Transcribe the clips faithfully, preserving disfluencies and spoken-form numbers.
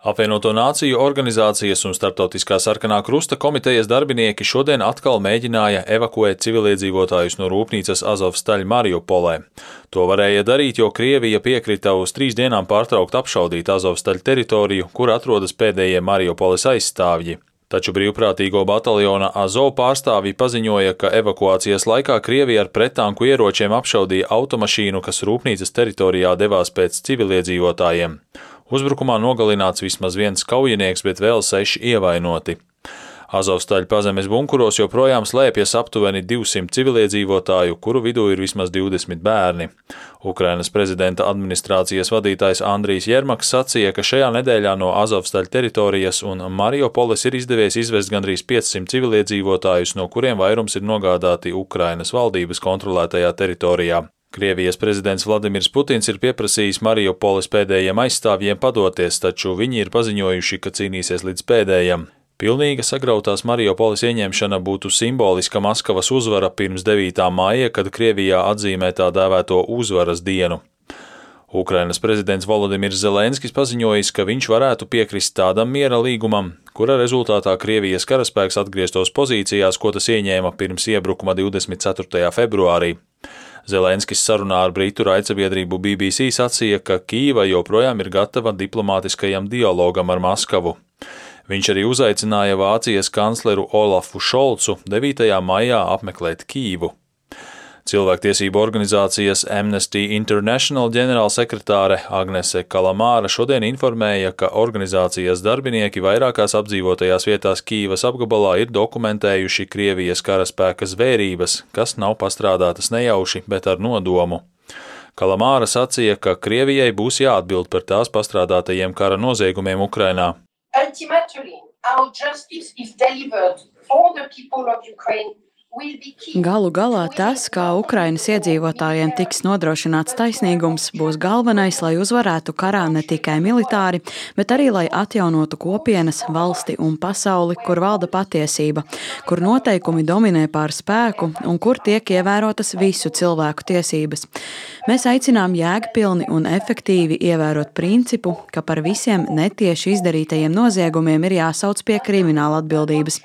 Apvienoto Nāciju organizācijas un Starptautiskā sarkanā krusta komitejas darbinieki šodien atkal mēģināja evakuēt civiliedzīvotājus no rūpnīcas Azovstaļ Mariupolē. To varēja darīt, jo Krievija piekrita uz trīs dienām pārtraukt apšaudīt Azovstaļ teritoriju, kur atrodas pēdējie Mariupoles aizstāvji. Taču brīvprātīgo bataljona Azov pārstāvji paziņoja, ka evakuācijas laikā Krievija ar prettanku ieročiem apšaudīja automašīnu, kas rūpnīcas teritorijā devās pēc civiliedzīvotājiem. Uzbrukumā nogalināts vismaz viens kaujinieks, bet vēl seši ievainoti. Azovstaļ pazemes bunkuros joprojām slēpjas aptuveni divsimt civiliedzīvotāju, kuru vidū ir vismaz divdesmit bērni. Ukrainas prezidenta administrācijas vadītājs Andrijs Jermaks sacīja, ka šajā nedēļā no Azovstaļ teritorijas un Mariupoles ir izdevies izvest gandrīz piecsimt civiliedzīvotājus, no kuriem vairums ir nogādāti Ukrainas valdības kontrolētajā teritorijā. Krievijas prezidents Vladimirs Putins ir pieprasījis Mariupoles pēdējiem aizstāvjiem padoties, taču viņi ir paziņojuši, ka cīnīsies līdz pēdējam. Pilnīga sagrautās Mariupoles ieņemšana būtu simboliska Maskavas uzvara pirms devītā māja, kad Krievijā atzīmē tā dēvēto uzvaras dienu. Ukrainas prezidents Volodimirs Zelenskis paziņojis, ka viņš varētu piekrist tādam miera līgumam, kura rezultātā Krievijas karaspēks atgrieztos pozīcijās, ko tas ieņēma pirms iebrukuma divdesmit ceturtajā februārī. Zelenskis sarunā ar britu raidsabiedrību B B C sacīja, ka Kīva joprojām ir gatava diplomātiskajam dialogam ar Maskavu. Viņš arī uzaicināja Vācijas kancleru Olafu Šolcu devītajā maijā apmeklēt Kīvu. Cilvēktiesību organizācijas Amnesty International ģenerālsekretāre Agnese Kalamāra šodien informēja, ka organizācijas darbinieki vairākās apdzīvotajās vietās Kīvas apgabalā ir dokumentējuši Krievijas karaspēka zvērības, kas nav pastrādātas nejauši, bet ar nodomu. Kalamāra sacīja, ka Krievijai būs jāatbild par tās pastrādātajiem kara noziegumiem Ukrainā. Ultimately, our justice is delivered for the people of Ukraine. Galu galā tas, kā Ukrainas iedzīvotājiem tiks nodrošināts taisnīgums, būs galvenais, lai uzvarētu karā ne tikai militāri, bet arī, lai atjaunotu kopienas, valsti un pasauli, kur valda patiesība, kur noteikumi dominē pār spēku un kur tiek ievērotas visu cilvēku tiesības. Mēs aicinām jēgpilni un efektīvi ievērot principu, ka par visiem netieši izdarītajiem noziegumiem ir jāsauc pie krimināla atbildības.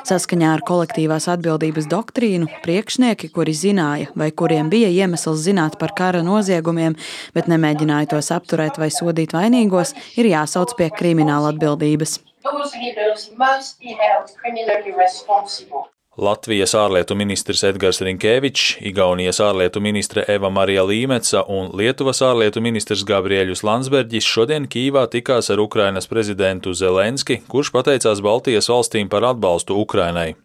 Saskaņā ar kolektīvās atbildības doktrīnu priekšnieki, kuri zināja vai kuriem bija iemesls zināt par kara noziegumiem, bet nemēģināja tos apturēt vai sodīt vainīgos, ir jāsauc pie krimināla atbildības. Latvijas ārlietu ministrs Edgars Rinkēvičs, Igaunijas ārlietu ministre Eva Marija Līmeca un Lietuvas ārlietu ministrs Gabriēļus Landsberģis šodien Kīvā tikās ar Ukrainas prezidentu Zelenski, kurš pateicās Baltijas valstīm par atbalstu Ukrainai.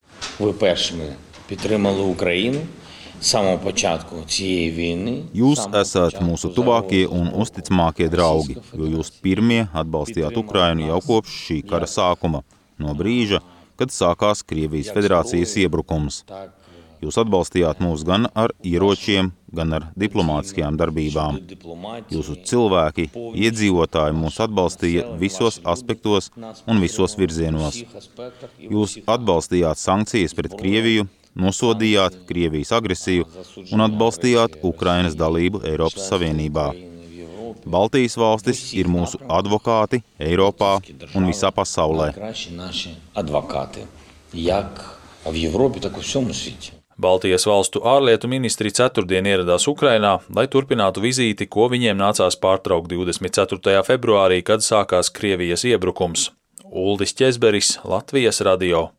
Jūs esat mūsu tuvākie un uzticamākie draugi, jo jūs pirmie atbalstījāt Ukrainu jau kopš šī kara sākuma, no brīža, kad sākās Krievijas federācijas iebrukums. Jūs atbalstījāt mūs gan ar ieročiem, gan ar diplomātiskajām darbībām. Jūsu cilvēki, iedzīvotāji mūs atbalstīja visos aspektos un visos virzienos. Jūs atbalstījāt sankcijas pret Krieviju, nosodījāt Krievijas agresiju un atbalstījāt Ukrainas dalību Eiropas Savienībā. Baltijas valstis ir mūsu advokāti Eiropā un visā pasaulē. Baltijas valstu ārlietu ministri ceturtdien ieradās Ukrainā, lai turpinātu vizīti, ko viņiem nācās pārtraukt divdesmit ceturtajā februārī, kad sākās Krievijas iebrukums. Uldis Ķezberis, Latvijas radio.